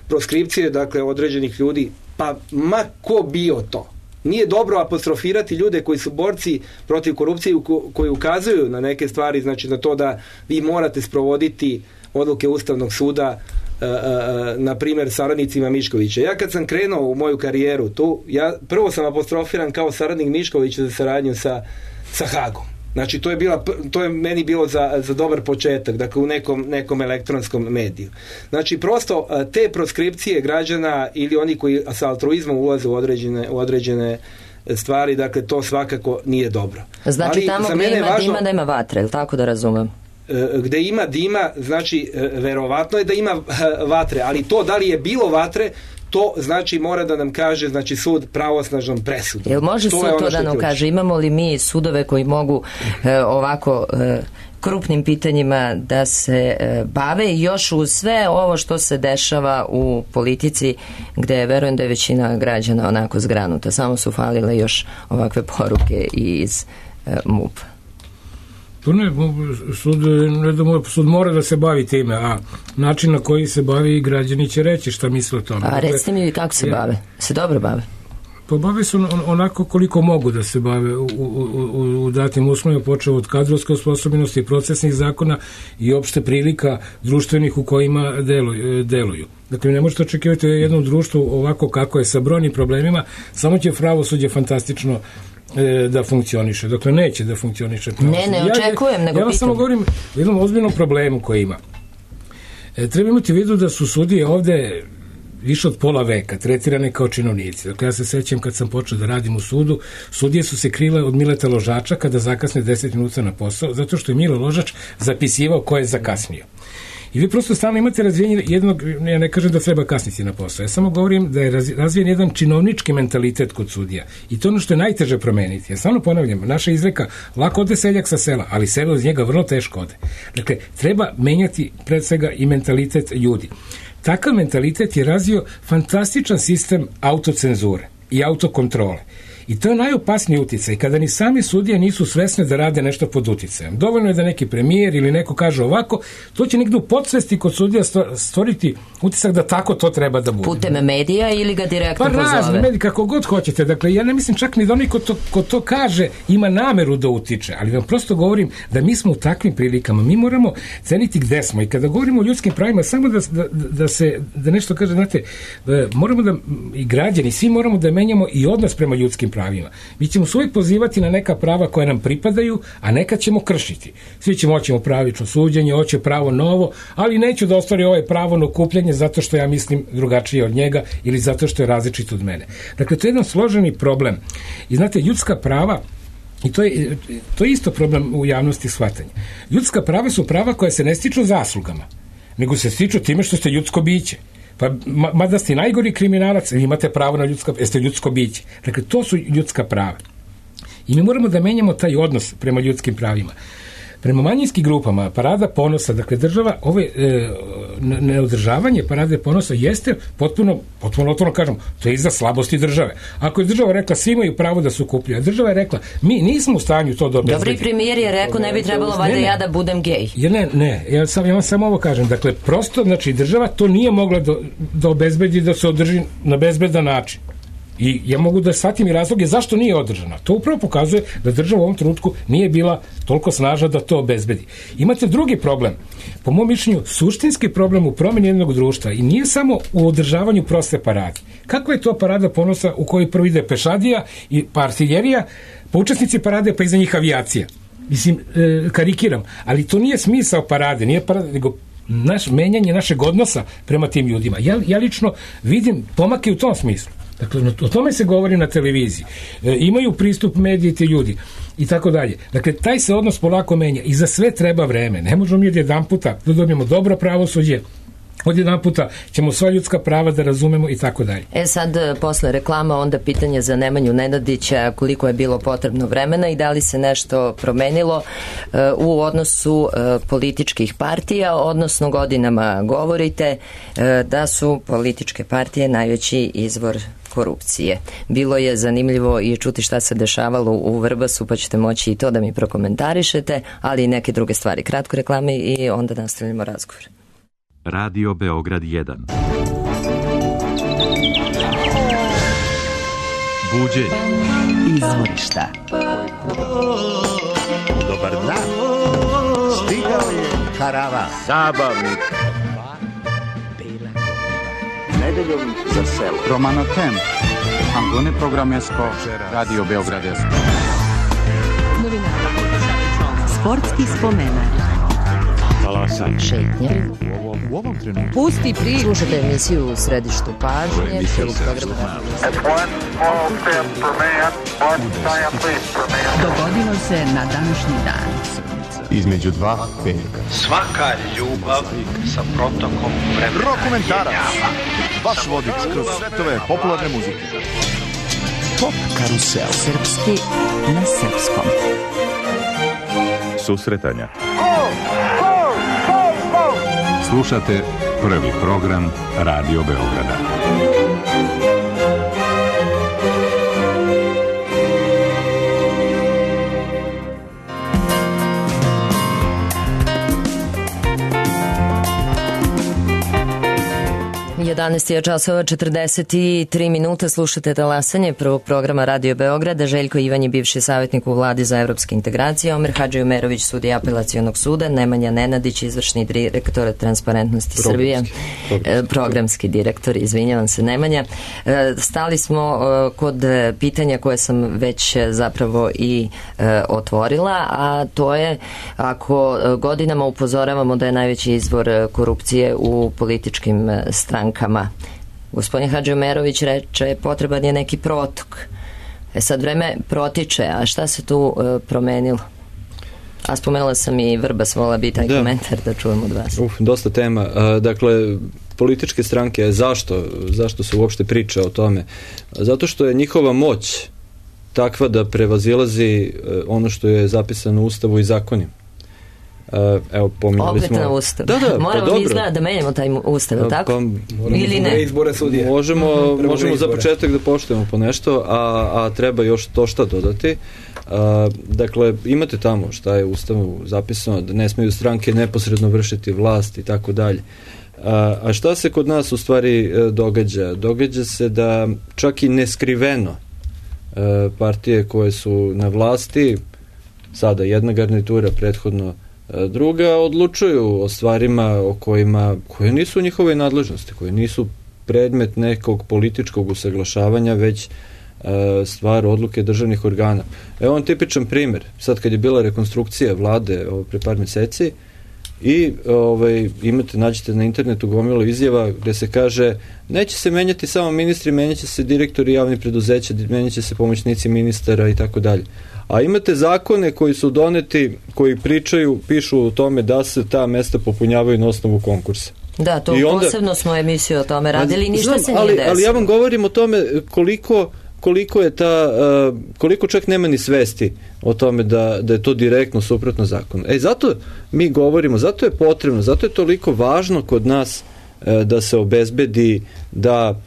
Proskripcije, dakle, određenih ljudi, pa ma ko bio to. Nije dobro apostrofirati ljude koji su borci protiv korupcije, koji ukazuju na neke stvari, znači na to da vi morate sprovoditi odluke Ustavnog suda, na primjer saradnicima Miškovića. Ja kad sam krenuo u moju karijeru tu, prvo sam apostrofiran kao saradnik Miškovića za saradnju sa Hagom. Znači to je meni bilo za dobar početak, dakle u nekom elektronskom mediju. Znači prosto te proskripcije građana ili oni koji sa altruizmom ulaze u određene stvari, dakle to svakako nije dobro. Znači ali tamo gdje ima dima nema vatre, ili tako da razumem? Gde ima dima, znači verovatno je da ima vatre, ali to da li je bilo vatre, to znači mora da nam kaže, znači, sud pravosnažnom presudom. Jel može sud to da nam kaže? Imamo li mi sudove koji mogu ovako krupnim pitanjima da se bave i još uz sve ovo što se dešava u politici, gde verujem da je većina građana onako zgranuta, samo su falile još ovakve poruke iz MUP-a. To ne, sud mora da se bavi time, a način na koji se bavi građani će reći šta misle o tome. A recite mi kako se bave? Se dobro bave? Pa bave se onako koliko mogu da se bave u datim uslovima, počeo od kadrovske osposobljenosti, procesnih zakona i opšte prilika društvenih u kojima deluju. Dakle, ne možete očekivati jednom društvu ovako kako je sa brojnim problemima, samo će pravosuđe fantastično da funkcioniše. Dakle, neće da funkcioniše. Ne očekujem, nego ja vam samo govorim o jednom ozbiljnom problemu koji ima. Treba imati u vidu da su sudije ovde više od pola veka tretirane kao činovnici. Dakle, ja se sećam kad sam počeo da radim u sudu, sudije su se krile od Mileta Ložača kada zakasne 10 minuta na posao, zato što je Milo Ložač zapisivao ko je zakasnio. I vi prosto stalno imate razvijen jednog, ja ne kažem da treba kasniti na posao, ja samo govorim da je razvijen jedan činovnički mentalitet kod sudija. I to ono što je najteže promeniti. Ja stalno ponavljam, naša izreka, lako ode seljak sa sela, ali selo iz njega vrlo teško ode. Dakle, treba menjati pred svega i mentalitet ljudi. Takav mentalitet je razvio fantastičan sistem autocenzure i autokontrole. I to je najopasniji uticaj, kada ni sami sudije nisu svesne da rade nešto pod uticajem. Dovoljno je da neki premijer ili neko kaže ovako, to će negdje u podsvesti kod sudija stvoriti utisak da tako to treba da bude. Putem medija ili ga direktno pozove? Pa razne mediji, kako god hoćete. Dakle, ja ne mislim čak ni da onaj ko to kaže ima nameru da utiče, ali vam prosto govorim da mi smo u takvim prilikama. Mi moramo ceniti gde smo i kada govorimo o ljudskim pravima, samo da nešto kaže, znate, moramo da, i građani, svi moramo da menjamo i odnos prema ljudskim pravima. Mi ćemo se uvijek pozivati na neka prava koja nam pripadaju, a neka ćemo kršiti. Svi ćemo hoćemo pravično suđenje, hoće pravo novo, ali neću da ostvari ovaj pravo na okupljanje zato što ja mislim drugačije od njega ili zato što je različit od mene. Dakle, to je jedan složeni problem. I znate, ljudska prava, i to je isto problem u javnosti shvatanja. Ljudska prava su prava koja se ne stiču zaslugama, nego se stiču time što ste ljudsko biće. Pa, mada ste najgori kriminalac, imate pravo na jeste ljudsko biće. Dakle, to su ljudska prava. I mi moramo da menjamo taj odnos prema ljudskim pravima. Prema manjinskim grupama, parada ponosa, dakle, država, neodržavanje parade ponosa jeste potpuno otvoreno kažem, to je iza slabosti države. Ako je država rekla, svi imaju pravo da se okupljaju, a država je rekla, mi nismo u stanju to da obezbedimo. Dobri premijer je rekao, ne bi trebalo valjda ja da budem gej. Ja vam samo ovo kažem, dakle, prosto, znači, država to nije mogla da obezbedi, da se održi na bezbedan način. I ja mogu da shvatim i razloge zašto nije održana. To upravo pokazuje da država u ovom trenutku nije bila toliko snažna da to obezbedi. Imate drugi problem, po mom mišljenju suštinski problem u promjeni jednog društva i nije samo u održavanju proste parade. Kakva je to parada ponosa u kojoj prvo ide pešadija i pa artiljerija, pa učesnici parade pa iza njih avijacija? Mislim, karikiram, ali to nije smisao parade, nije parade, nego menjanje našeg odnosa prema tim ljudima. Ja lično vidim pomake u tom smislu. Dakle, o tome se govori na televiziji. Imaju pristup mediji ti ljudi i tako dalje. Dakle, taj se odnos polako menja i za sve treba vreme. Ne možemo mi od jedan puta da dobijemo dobro pravosuđe, od jedan puta ćemo sva ljudska prava da razumemo i tako dalje. Sad, posle reklama, onda pitanje za Nemanju Nenadića, koliko je bilo potrebno vremena i da li se nešto promenilo u odnosu političkih partija, odnosno godinama govorite da su političke partije najveći izvor korupcije. Bilo je zanimljivo i čuti šta se dešavalo u Vrbasu, pa ćete moći i to da mi prokomentarišete, ali i neke druge stvari. Kratko reklame i onda nastavljamo razgovor. Radio Beograd 1. Buđenje. Izvorišta. Dobar dan. Stigao je karavan. Zabavnik. Nedeljom za selo. Romano Tem. Angone programesko. Radio Beograd 1. Sportski spomenak. Šetnje. U ovom trenutku. Pusti priču. Slušate emisiju u središtu pažnje. Dogodilo se na današnji dan. Između dva petka. Svaka ljubav sa protokom vremena. Rokomentarac. Vaš vodič kroz svetove popularne muzike. Pop karusel. Srpski na srpskom. Susretanja. Slušate prvi program Radio Beograda. Je časova 43 minuta, slušate talasanje prvog programa Radio Beograda. Željko Ivan je bivši savjetnik u vladi za evropske integracije, Omer Hadžiumerović, sudija apelacionog suda, Nemanja Nenadić, izvršni direktor Transparentnosti Srbije, programski direktor, izvinjavam se Nemanja. Stali smo kod pitanja koje sam već zapravo i otvorila, a to je ako godinama upozoravamo da je najveći izvor korupcije u političkim strankama. Gospodin Hadžiumerović reče potreban je neki protok. Sad vreme protiče, a šta se tu promenilo? A spomenula sam i Vrbas, vola bi taj komentar da čujem od vas. Dosta tema. Dakle, političke stranke, zašto se uopšte priča o tome? Zato što je njihova moć takva da prevazilazi ono što je zapisano u Ustavu i zakonima. Evo, pominjali opet smo... na ustav. Da, moramo mi izgleda da menjamo taj ustav, tako? Ili ne? Možemo za početak da poštujemo po nešto, a treba još to šta dodati. Dakle, imate tamo šta je u ustavu zapisano, da ne smeju stranke neposredno vršiti vlast i tako dalje. A šta se kod nas u stvari događa? Događa se da čak i neskriveno partije koje su na vlasti, sada jedna garnitura, prethodno druga, odlučuju o stvarima o koje nisu u njihove nadležnosti, koje nisu predmet nekog političkog usaglašavanja, već stvar odluke državnih organa. Evo on tipičan primjer. Sad kad je bila rekonstrukcija vlade pre par meseci i nađete na internetu gomilu izjava gde se kaže neće se menjati samo ministri, menjaće se direktori javnih preduzeća, menjaće se pomoćnici ministara i tako dalje. A imate zakone koji su doneti, koji pišu o tome da se ta mesta popunjavaju na osnovu konkursa. Da, to posebno smo emisiju o tome radili, ništa se nije desilo. Ali ja vam govorim o tome koliko čak nema ni svesti o tome da je to direktno suprotno zakonu. Zato mi govorimo, zato je potrebno, zato je toliko važno kod nas da se obezbedi da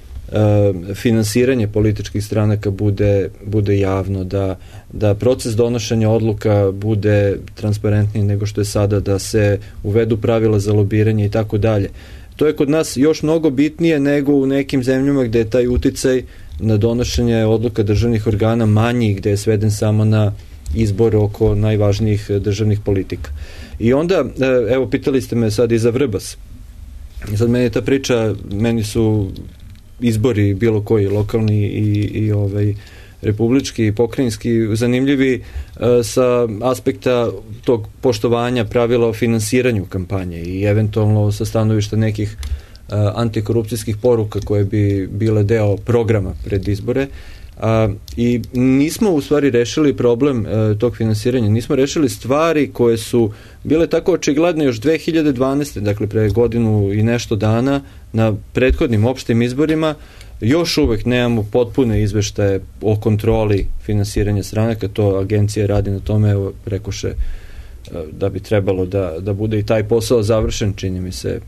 finansiranje političkih stranaka bude javno, da proces donošenja odluka bude transparentniji nego što je sada, da se uvedu pravila za lobiranje i tako dalje. To je kod nas još mnogo bitnije nego u nekim zemljama gde je taj uticaj na donošenje odluka državnih organa manji, gde je sveden samo na izbor oko najvažnijih državnih politika. I onda, evo, pitali ste me sad i za Vrbas. Sad meni je ta priča, meni su izbori bilo koji, lokalni i republički i pokrajinski, zanimljivi sa aspekta tog poštovanja pravila o finansiranju kampanje i eventualno sa stanovišta nekih antikorupcijskih poruka koje bi bile deo programa pred izbore. I nismo u stvari rešili problem tog finansiranja, nismo rešili stvari koje su bile tako očigledne još 2012. dakle pre godinu i nešto dana na prethodnim opštim izborima. Još uvek nemamo potpune izveštaje o kontroli finansiranja stranaka, to agencija radi na tome, evo rekoše da bi trebalo da bude i taj posao završen, čini mi se.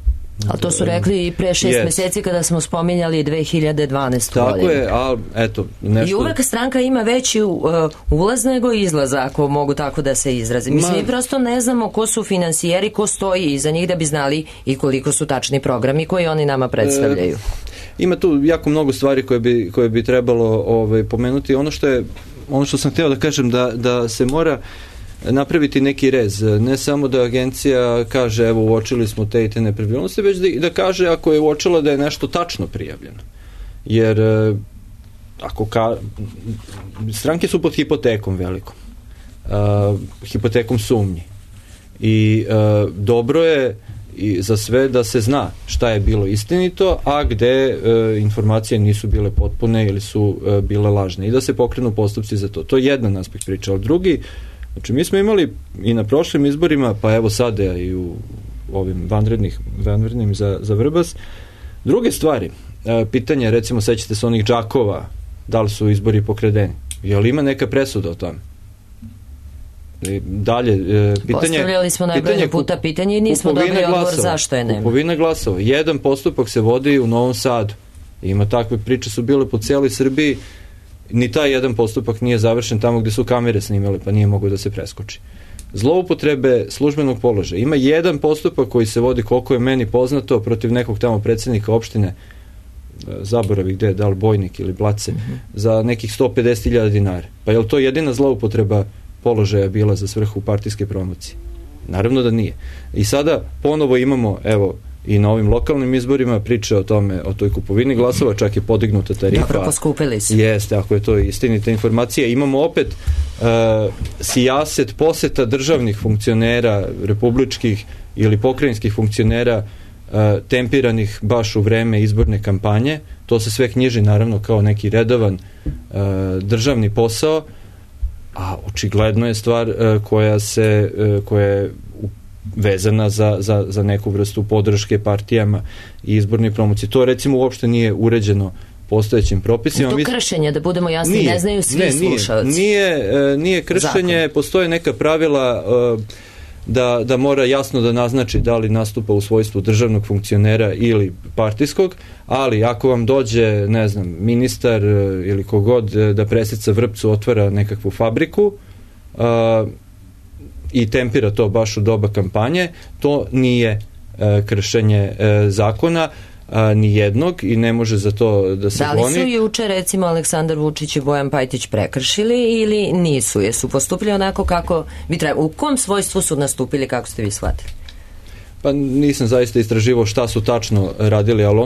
A to su rekli i pre 6 meseci kada smo spominjali 2012. Tako godinu. je, ali eto nešto... I uvek stranka ima veći ulaz nego izlaz, ako mogu tako da se izrazim. Mislim, mi prosto ne znamo ko su finansijeri, ko stoji iza njih, da bi znali i koliko su tačni programi koji oni nama predstavljaju. Ima tu jako mnogo stvari koje bi trebalo pomenuti. Ono što sam hteo da kažem, da se mora napraviti neki rez. Ne samo da agencija kaže evo uočili smo te i te nepravilnosti, već da kaže ako je uočila da je nešto tačno prijavljeno. Jer stranke su pod hipotekom velikom. Hipotekom sumnji. I dobro je i za sve da se zna šta je bilo istinito, a gde informacije nisu bile potpune ili su bile lažne i da se pokrenu postupci za to. To je jedan aspekt priče, ali drugi, znači mi smo imali i na prošlim izborima, pa evo sada i u ovim vanrednim za Vrbas, druge stvari. Pitanje, recimo, sećate se onih džakova, da li su izbori pokradeni? Je li ima neka presuda o tome? Dalje, postavljali smo najbolje puta pitanje i nismo dobili odgovor zašto je nema. Kupovina glasova. Jedan postupak se vodi u Novom Sadu. Ima takve priče, su bile po cijeloj Srbiji. Ni taj jedan postupak nije završen tamo gde su kamere snimale, pa nije mogo da se preskoči. Zloupotrebe službenog položaja. Ima jedan postupak koji se vodi, koliko je meni poznato, protiv nekog tamo predsjednika opštine, zaboravi gde, da li Bojnik ili Blace, za nekih 150.000 dinara. Pa je li to jedina zloupotreba položaja bila za svrhu partijske promocije? Naravno da nije. I sada ponovo imamo, evo, i na ovim lokalnim izborima priče o tome, o toj kupovini glasova, čak je podignuta tarifa. Dobro, poskupili su. Jeste, ako je to istinita informacija. Imamo opet sijaset poseta državnih funkcionera, republičkih ili pokrajinskih funkcionera, tempiranih baš u vreme izborne kampanje. To se sve knjiži naravno kao neki redovan državni posao, a očigledno je stvar koja je vezana za neku vrstu podrške partijama i izborne promocije. To recimo uopšte nije uređeno postojećim propisima. To kršenje, da budemo jasni, ne znaju svi slušalci. Nije kršenje, postoje neka pravila da mora jasno da naznači da li nastupa u svojstvu državnog funkcionera ili partijskog, ali ako vam dođe, ne znam, ministar ili kogod da presica vrpcu, otvara nekakvu fabriku i tempira to baš u doba kampanje, to nije kršenje zakona ni jednog i ne može za to da se goni. Da li su juče recimo Aleksandar Vučić i Bojan Pajtić prekršili ili nisu? Jesu postupili onako kako bi trebalo? U kom svojstvu su nastupili, kako ste vi shvatili? Pa nisam zaista istraživao šta su tačno radili, ali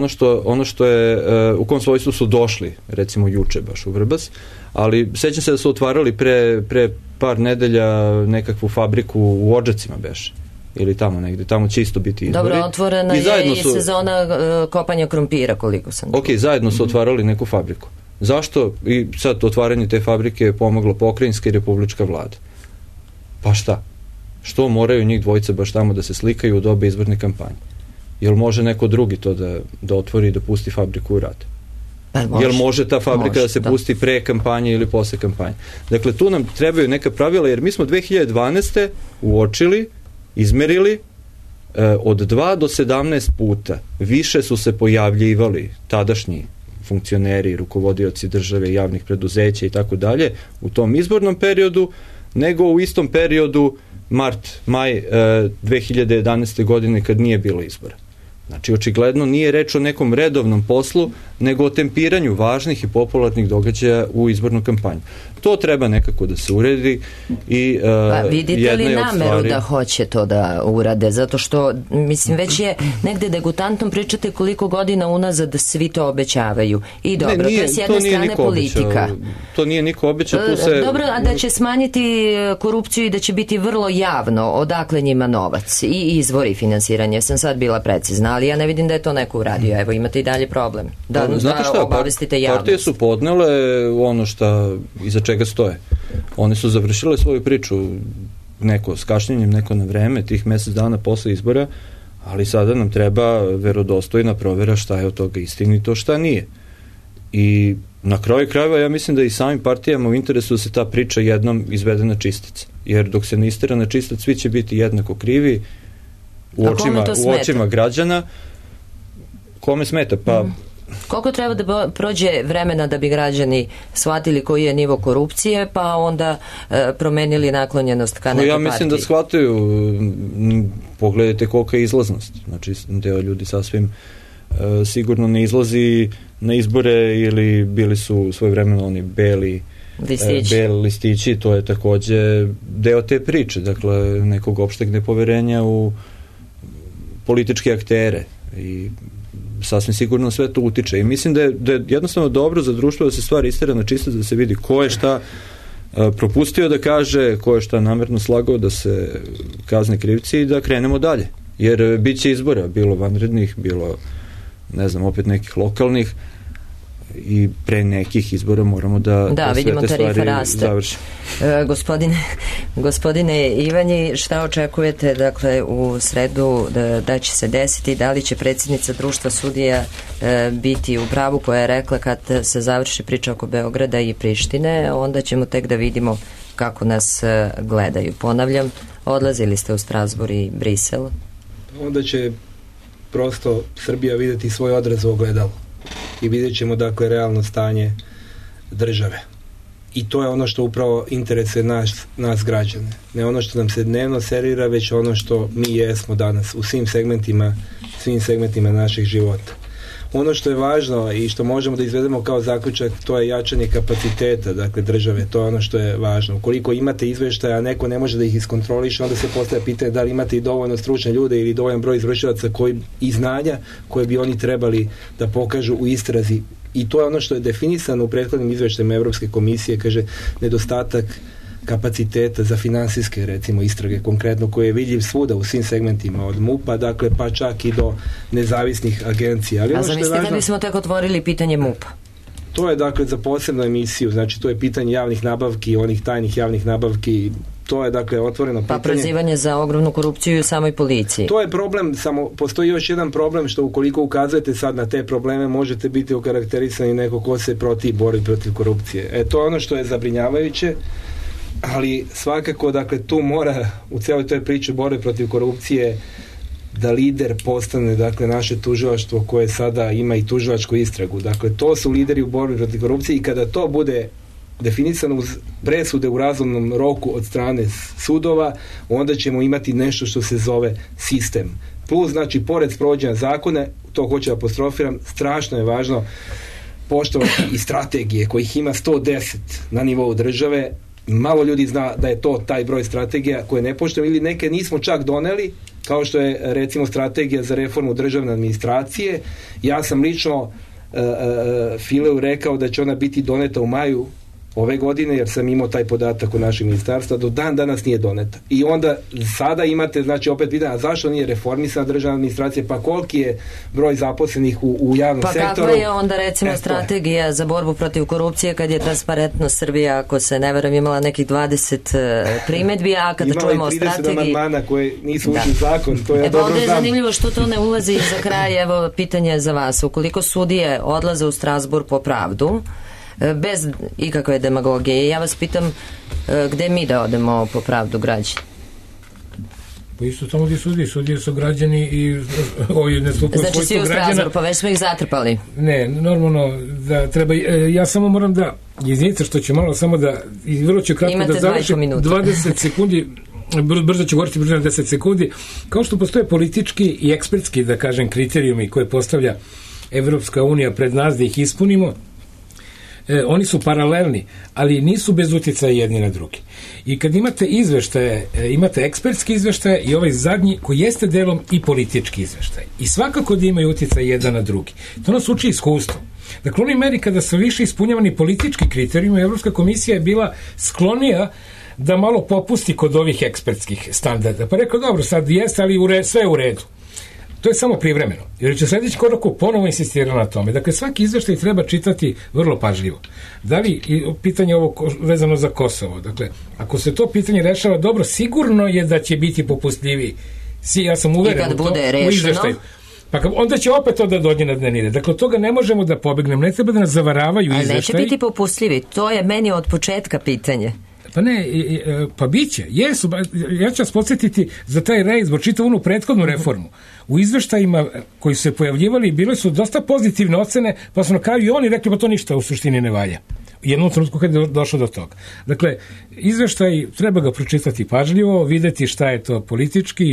ono što je, u kom svojstvu su došli, recimo juče baš u Vrbas, ali sećam se da su otvarali pre par nedelja nekakvu fabriku u Odžacima beše. Ili tamo negde, tamo će isto biti izbori. Dobro, otvorena je i sezona kopanja krompira, koliko sam. Ok, zajedno su otvarali neku fabriku. Zašto? I sad otvaranje te fabrike je pomoglo pokrajinska i republička vlada. Pa šta? Što moraju njih dvojica baš tamo da se slikaju u doba izborne kampanje? Jel može neko drugi to da otvori i da pusti fabriku u rad? Jel može ta fabrika da se pusti pre kampanje ili posle kampanje? Dakle, tu nam trebaju neka pravila, jer mi smo 2012. uočili, izmerili, od 2 do 17 puta više su se pojavljivali tadašnji funkcioneri, rukovodioci države, javnih preduzeća i tako dalje u tom izbornom periodu, nego u istom periodu maj 2011. godine kad nije bilo izbora. Znači, očigledno nije reč o nekom redovnom poslu, nego o tempiranju važnih i popularnih događaja u izbornu kampanju. To treba nekako da se uredi i vidite li nameru da hoće to da urade? Zato što, mislim, već je negde degutantno pričate koliko godina unazad svi to obećavaju. I dobro, to je s jedne strane politika. To nije niko obećao. Dobro, a da će smanjiti korupciju i da će biti vrlo javno odakle njima novac i izvori finansiranja. Sam sad bila precizna, ali ja ne vidim da je to neko uradio. Evo, imate i dalje problem. Znate šta, partije su podnele ono šta iza čega stoje. One su završile svoju priču, neko s kašnjenjem, neko na vreme, tih mesec dana posle izbora, ali sada nam treba verodostojna provera šta je od toga istinito, šta nije. I na kraju krajeva ja mislim da i samim partijama u interesu da se ta priča jednom izvede na čistac. Jer dok se ne istera na čistac, svi će biti jednako krivi u očima građana. Kome smeta? Pa koliko treba da prođe vremena da bi građani shvatili koji je nivo korupcije, pa onda promenili naklonjenost ka nekoj partiji? Ja mislim da shvataju. Pogledajte kolika je izlaznost. Znači, deo ljudi sasvim sigurno ne izlazi na izbore ili bili su svojevremeno oni beli listići. To je takođe deo te priče. Dakle, nekog opšteg nepoverenja u političke aktere i sasvim sigurno sve to utiče i mislim da je jednostavno dobro za društvo da se stvari istera na čistac, da se vidi ko je šta propustio da kaže, ko je šta namerno slagao, da se kazne krivci i da krenemo dalje, jer bit će izbora, bilo vanrednih, bilo ne znam, opet nekih lokalnih i pre nekih izbora moramo da sve te stvari završimo. Gospodine Ivanji, šta očekujete, dakle, u sredu da će se desiti? Da li će predsjednica društva sudija biti u pravu koja je rekla kad se završi priča oko Beograda i Prištine, onda ćemo tek da vidimo kako nas gledaju. Ponavljam, odlazili ste u Strasbourg i Brisel. Onda će prosto Srbija vidjeti svoj odraz u ogledalu i vidjet ćemo, dakle, realno stanje države. I to je ono što upravo interesuje nas građane. Ne ono što nam se dnevno servira, već ono što mi jesmo danas u svim segmentima naših života. Ono što je važno i što možemo da izvedemo kao zaključak, to je jačanje kapaciteta, dakle, države. To je ono što je važno. Ukoliko imate izveštaja, a neko ne može da ih iskontroliše, onda se postavlja pitanje da li imate i dovoljno stručne ljude ili dovoljan broj izvršilaca i znanja koje bi oni trebali da pokažu u istrazi. I to je ono što je definisano u prethodnim izveštajima Evropske komisije, kaže, nedostatak kapaciteta za finansijske, recimo, istrage, konkretno, koje je vidljiv svuda u svim segmentima, od MUP-a, dakle, pa čak i do nezavisnih agencija. Ali a zamislite da bismo tek otvorili pitanje MUP-a? To je, dakle, za posebnu emisiju, znači to je pitanje javnih nabavki, onih tajnih javnih nabavki, to je, dakle, otvoreno pitanje. Pa prozivanje za ogromnu korupciju u samoj policiji. To je problem, samo postoji još jedan problem, što ukoliko ukazujete sad na te probleme, možete biti okarakterisani neko ko se bori protiv korupcije. To je ono što je zabrinjavajuće. ali svakako, dakle, tu mora u cijeloj toj priči borbe protiv korupcije da lider postane, dakle, naše tužilaštvo koje sada ima i tužilačku istragu. Dakle, to su lideri u borbi protiv korupcije i kada to bude definisano uz presude u razumnom roku od strane sudova, onda ćemo imati nešto što se zove sistem. Plus, znači, pored sprovođenja zakona, to hoću da apostrofiram, strašno je važno poštovati i strategije kojih ima 110 na nivou države. Malo ljudi zna da je to taj broj strategija koje ne poštujemo ili neke nismo čak doneli, kao što je recimo strategija za reformu državne administracije. Ja sam lično Fileu rekao da će ona biti doneta u maju ove godine, jer sam imao taj podatak u našem ministarstva, do dan danas nije doneta. I onda sada imate, znači, opet pitanje, a zašto nije reformisana državna administracija, pa koliki je broj zaposlenih u javnom sektoru? Pa kakva je onda, recimo, strategija za borbu protiv korupcije kad je Transparentno Srbija, ako se ne verujem, imala nekih 20 primedbi, a kada čujemo o strategiji... Imala i 30 amandmana koje nisu ušli zakon, to ja dobro znam. Onda je zanimljivo što to ne ulazi za kraj. Evo, pitanje za vas. Ukoliko sudije odlaze u Strazburg po pravdu, bez ikakve demagogije, ja vas pitam, gde mi da odemo po pravdu građani? Pa isto tamo gdje sudije su građani i ne stupaju znači svi u Strazburg, pa već smo ih zatrpali. Ne, normalno da treba, ja samo moram da izvinite što ću malo samo da, i vrlo ću kratko da završim 20 sekundi, brzo ću govoriti brzo na 10 sekundi, kao što postoje politički i ekspertski, da kažem, kriterijumi koje postavlja Evropska unija pred nas da ih ispunimo, oni su paralelni, ali nisu bez utjecaja jedni na drugi. I kad imate izveštaje, imate ekspertski izveštaje i ovaj zadnji koji jeste delom i politički izveštaj. I svakako da imaju utjecaj jedan na drugi. To nas uči iskustvo. Dakle, u onoj meri kada su više ispunjavani politički kriterijumi, Evropska komisija je bila sklonija da malo popusti kod ovih ekspertskih standarda. Pa rekao, dobro, sad jeste, ali sve je u redu. To je samo privremeno, jer će sljedeći koraku ponovo insistirati na tome. Dakle, svaki izveštaj treba čitati vrlo pažljivo. Da li, pitanje ovo vezano za Kosovo, dakle, ako se to pitanje rešava dobro, sigurno je da će biti popustljiviji. Ja sam uveren u to, u izveštaju. Pa onda će opet to da dođe na dnevni red. Dakle, od toga ne možemo da pobegnemo, ne treba da nas zavaravaju izveštaji. Ali neće biti popustljivi, to je meni od početka pitanje. Pa ne, pa biće, jesu, ja ću vas podsjetiti za taj reizbor, čitav onu prethodnu reformu. U izveštajima koji su se pojavljivali bile su dosta pozitivne ocene, pa su na kraju i oni rekli, pa to ništa u suštini ne valja. U jednom trenutku kad je došlo do toga. Dakle, izveštaj treba ga pročitati pažljivo, videti šta je to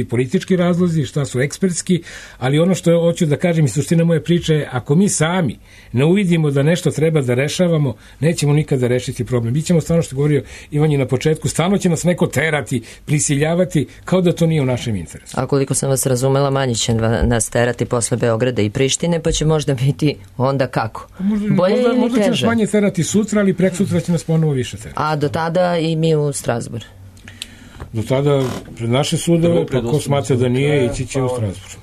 politički razlozi, šta su ekspertski, ali ono što hoću da kažem i suština moje priče je, ako mi sami ne uvidimo da nešto treba da rešavamo, nećemo nikada rešiti problem. Bićemo stvarno, što govorio Ivan je na početku, stalno će nas neko terati, prisiljavati, kao da to nije u našem interesu. A koliko sam vas razumela, manje će nas terati posle Beograda i Prištine, pa će možda biti onda kako? Možda će nas manje terati sutra, ali preksutra će nas ponovo više terati. A do tada i mi u Strazburg? Do tada pred naše sudove, pa ko smatra da nije, ići će u Strazburg.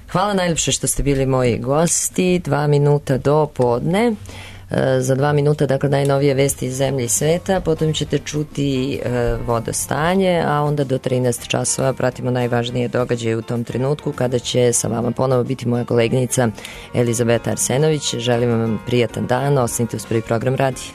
Hvala najljepše što ste bili moji gosti. 2 minuta do podne. Za 2 minuta, dakle, najnovije vesti iz zemlje i sveta, potom ćete čuti vodostanje, a onda do 13 časova pratimo najvažnije događaje u tom trenutku, kada će sa vama ponovo biti moja koleginica Elizabeta Arsenović. Želim vam prijatan dan, ostanite uz Prvi program radija.